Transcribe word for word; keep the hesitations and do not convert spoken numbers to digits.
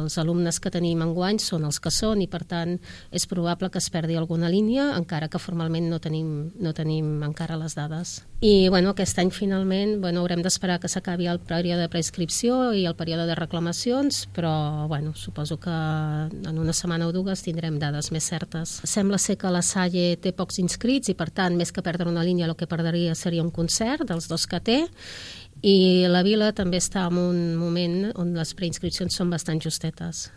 els alumnes que tenim enguany són els que són i per tant és probable que es perdi alguna línia, encara que formalment no tenim, no tenim encara les dades. I bueno, aquest any finalment bueno, haurem d'esperar que s'acabi el període de preinscripció i el període de reclamacions, però bueno, suposo que en una setmana o dues tindrem dades més certes. Sembla ser que la Salle té pocs inscrits i per tant, més que perdre una línia, el que perdria seria un concert dels dos que té, i la Vila també està en un moment on les preinscripcions són bastant justetes.